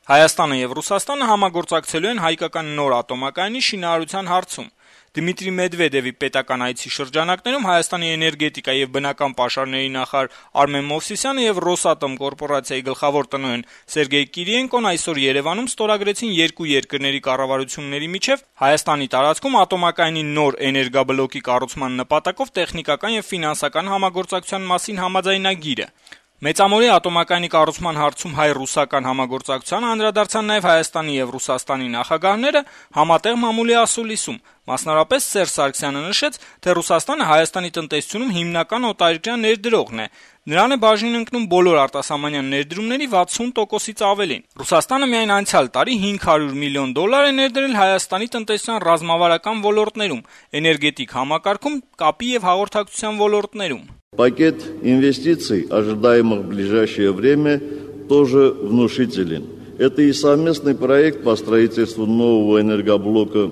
Հայաստանը եւ Ռուսաստանը համագործակցելու են հայկական նոր ատոմակայանի շինարարության հարցում։ Դմիտրի Մեդվեդևի պետական այցի շրջանակներում Հայաստանի էներգետիկա եւ բնական պաշարների նախարար Արմեն Մովսիսյանը եւ Ռոսատոմ կորպորացիայի գլխավոր տնօրեն Սերգեյ Կիրիենկոն այսօր Երևանում ստորագրեցին երկու երկրների կառավարությունների միջև Հայաստանի տարածքում ատոմակայանի նոր էներգաբլոկի կառուցման նպատակով տեխնիկական եւ ֆինանսական համագործակցության մասին համաձայնագիրը։ Մեծամորի ատոմակայանի կառուցման հարցում հայ-ռուսական համագործակցության անդրադարձան նաև Հայաստանի եւ Ռուսաստանի նախագահները համատեղ մամուլի ասուլիսում։ Մասնավորապես Սերժ Սարգսյանը նշեց, թե Ռուսաստանը Հայաստանի տնտեսությունում հիմնական օտարերկրյա ներդրողն է։ Նրան է բաժին ընկնում բոլոր արտասահմանյան ներդրումների 60%-ից ավելին։ Ռուսաստանը միայն անցյալ տարի $500 միլիոն է ներդրել Հայաստանի տնտեսության ռազմավարական ոլորտներում, էներգետիկ համակարգում, կապի եւ հաղորդակցության ոլորտներում։ Пакет инвестиций, ожидаемых в ближайшее время, тоже внушителен. Это и совместный проект по строительству нового энергоблока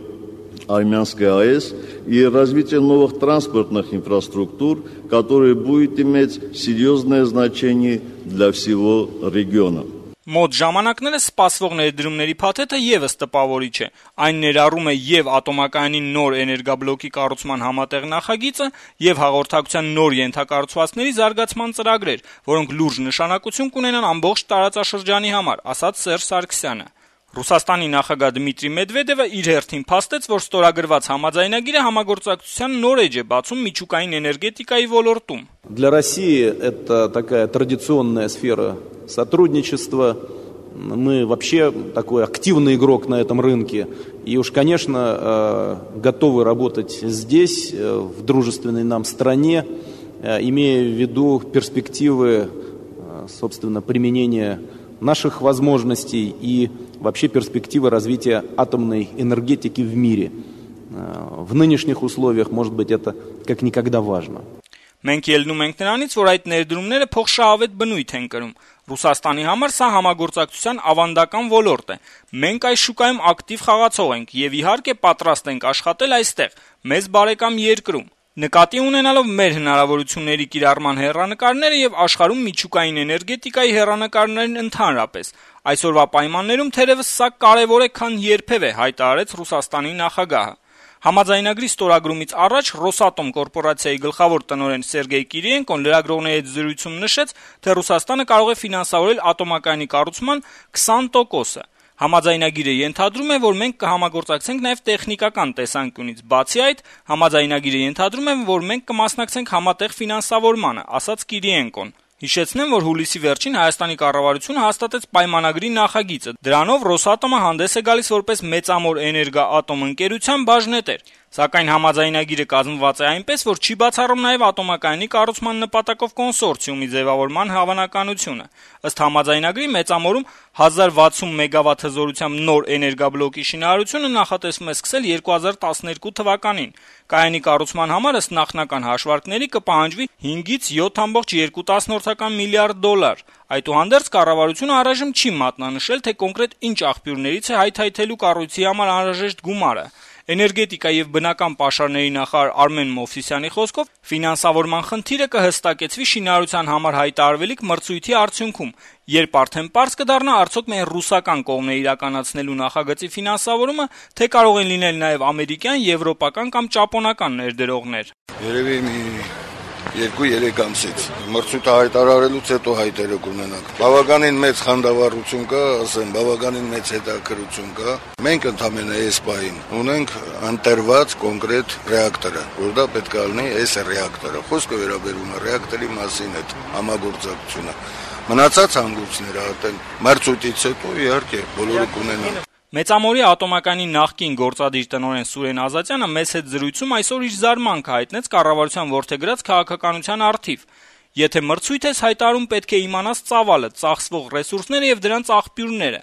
Армянской АЭС и развитие новых транспортных инфраструктур, которые будет иметь серьезное значение для всего региона. Մոտ ժամանակներս սպասվող ներդրումների փաթեթը եւս տպավորիչ է։ Այն ներառում է եւ ատոմակայանի նոր էներգաբլոկի կառուցման համատեղ նախագիծը եւ հաղորդակցության նոր ենթակառուցվածքների զարգացման ծրագրեր, որոնք լուրջ նշանակություն կունենան ամբողջ տարածաշրջանի համար, ասաց Սերժ Սարգսյանը։ Ռուսաստանի նախագահ Դմիտրի Մեդվեդևը իր հերթին փաստեց, որ ստորագրված համաձայնագիրը համագործակցության նոր էջ է բացում միջուկային էներգետիկայի ոլորտում։ Для России это такая традиционная сфера сотрудничества. Мы вообще такой активный игрок на этом рынке. И уж, конечно, готовы работать здесь, в дружественной нам стране, имея в виду перспективы, собственно, применения наших возможностей и вообще перспективы развития атомной энергетики в мире. В нынешних условиях, может быть, это как никогда важно. Մենք ելնում ենք նրանից, որ այդ ներդրումները փոխշահավետ բնույթ են կրում։ Ռուսաստանի համար սա համագործակցության ավանդական ոլորտ է։ Մենք այս շուկայում ակտիվ խաղացող ենք եւ իհարկե պատրաստ ենք աշխատել այստեղ, մեզ բարեկամ երկրում։ Նկատի ունենալով մեր հնարավորությունների կիրառման հեռանկարները եւ աշխարհում միջուկային էներգետիկայի հեռանկարներն ընդհանրապես, այսօրվա պայմաններում թերևս սա կարեւոր է, քան երբևէ, հայտարարեց Ռուսաստանի նախագահը։ Համաձայնագրի ստորագրումից առաջ Ռոսատոմ կորպորացիայի գլխավոր տնօրեն Սերգեյ Կիրիենկոն լրագրողների հետ զրույցում նշեց, թե Ռուսաստանը կարող է ֆինանսավորել ատոմակայանի կառուցման 20%-ը։ Համաձայնագիրը ենթադրում է, որ մենք կհամագործակցենք նաև տեխնիկական տեսանկյունից։ Բացի այդ, համաձայնագիրը ենթադրում է, որ մենք կմասնակցենք համատեղ ֆինանսավորմանը, ասաց Կիրիենկոն։ Հիշեցնեմ, որ հուլիսի վերջին Հայաստանի կառավարությունը հաստատեց պայմանագրի նախագիծը։ Դրանով Ռոսատոմը հանդես է գալիս որպես մեծամոր էներգա-ատոմ ընկերության բաժնետեր։ Սակայն համաձայնագիրը կազմված է այնպես, որ չի բացառում նաև ատոմակայանի կառուցման նպատակով կոնսորցիումի ձևավորման հավանականությունը։ Ըստ համաձայնագրի մեծամորում 1060 մեգավատ հզորությամբ նոր էներգաբլոկի շինարարությունը նախատեսվում է սկսել 2012 թվականին։ Կայանի կառուցման համար ըստ նախնական հաշվարկների կպահանջվի 5-ից 7.2 միլիարդ դոլար։ Այդուհանդերձ կառավարությունը առայժմ չի մատնանշել, թե կոնկրետ ինչ աղբյուրներից է հայթայթելու կառույցի համար անհրաժեշտ գումարը։ Էներգետիկա եւ բնական պաշարների նախարար Արմեն Մովսիսյանի խոսքով ֆինանսավորման խնդիրը կհստակեցվի շինարարության համար հայտարարվելիք մրցույթի արդյունքում, երբ արդեն պարզ կդառնա արդյոք միայն ռուսական կողմն է իրականացնելու նախագծի ֆինանսավորումը, թե կարող են լինել նաեւ ամերիկյան, եվրոպական կամ ճապոնական ներդրողներ։ Երևի մի 2-3 ամսից մրցույթը հայտարարելուց հետո հայտերը կունենանք։ Բավականին մեծ խանդավառություն կա, ասեմ, բավականին մեծ հետաքրություն կա։ Մենք ընդամենը այս պահին ունենք ընտրված կոնկրետ ռեակտորը, որ դա պետք է լինի այս ռեակտորը։ Խոսքը վերաբերում է ռեակտորի մասին այդ համագործակցությունը։ Մնացած հանգույցները արդեն մրցույթից հետո իհարկե բոլորը կունենան։ Մեծամորի ատոմակայանի նախկին գործադիր տնօրեն Սուրեն Ազատյանը մեծ հետ զրույցում այսօր իր զարմանքը հայտնեց կառավարության որդեգրած քաղաքականության առթիվ։ Եթե մրցույթ ես հայտարարում, պետք է իմանաս ծավալը, ծախսվող ռեսուրսները եւ դրանց աղբյուրները։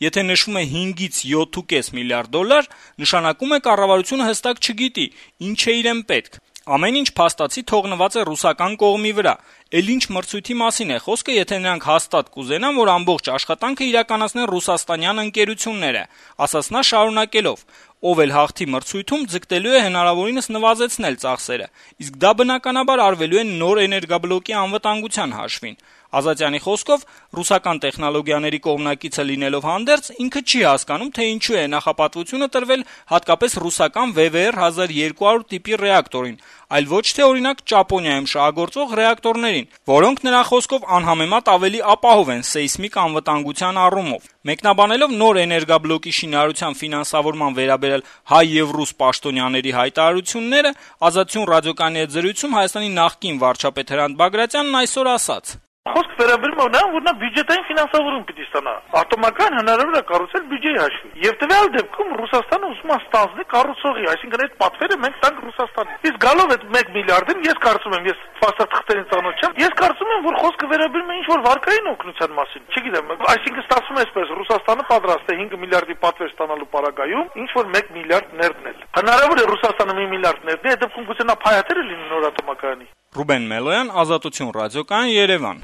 Եթե նշվում է 5-ից 7.5 միլիարդ դոլար, նշանակում է կառավարությունը հստակ չգիտի, ինչ է իրեն պետք։ Ամեն ինչ փաստացի թողնված է ռուսական կողմի վրա։ Էլ ինչ մրցույթի մասին է խոսքը, եթե նրանք հաստատ կուզենան, որ ամբողջ աշխատանքը իրականացնեն ռուսաստանյան ընկերությունները, ասաց նա շարունակելով. ով էլ հաղթի մրցույթում, ձգտելու է հնարավորինս նվազեցնել ծախսերը, իսկ դա բնականաբար արվելու է նոր էներգաբլոկի անվտանգության հաշվին։ Ազատյանի խոսքով, ռուսական տեխնոլոգիաների կողմնակիցը լինելով հանդերձ, ինքը չի հասկանում, թե ինչու է նախապատվությունը տրվել հատկապես ռուսական VVR-1200 տիպի ռեակտորին, այլ ոչ թե օրինակ Ճապոնիայում շահագործող ռեակտորներին, որոնք նրա խոսքով անհամեմատ ավելի ապահով են սեյսմիկ անվտանգության առումով։ Մեկնաբանելով նոր էներգաբլոկի շինարարության ֆինանսավորման վերաբերյալ հայ եւ ռուս պաշտոնյաների հայտարարությունները, Ազատություն ռադիոկայանի հետ զրույցում Հայաստանի նախկին վարչապետ Հրանտ Բագրատյանն այսօր ասաց. Խոսքը վերաբերում է նրան, որ նա բյուջետային ֆինանսավորում պիտի ստանա։ Ատոմական հնարավոր է կառուցել բյուջեի հաշվին։ Եվ տվյալ դեպքում Ռուսաստանը ուզում է ստանձնել կառուցողի, այսինքն այդ պատվերը մենք տանք Ռուսաստանին։ Իսկ գալով այդ 1 միլիարդին, ես կարծում եմ, ես ֆասատխտերին ծանոթ չեմ, ես կարծում եմ, որ խոսքը վերաբերում է ինչ-որ վարկային օգնության մասին։ Չգիտեմ, այսինքն ստացվում է այսպես, Ռուսաստանը պատրաստ է 5 միլիարդի պատվեր ստանալու պարագայում ինչ-որ 1 միլիարդ ներդնել։ Հնարավոր է Ռուսաստանը 1 միլիարդ ներդնի, այդ դեպքում գուցե նա փայատերը լինի նոր ատոմակայանի։ Ռուբեն Մելոյան, Ազատություն ռադիոկայան, Երևան։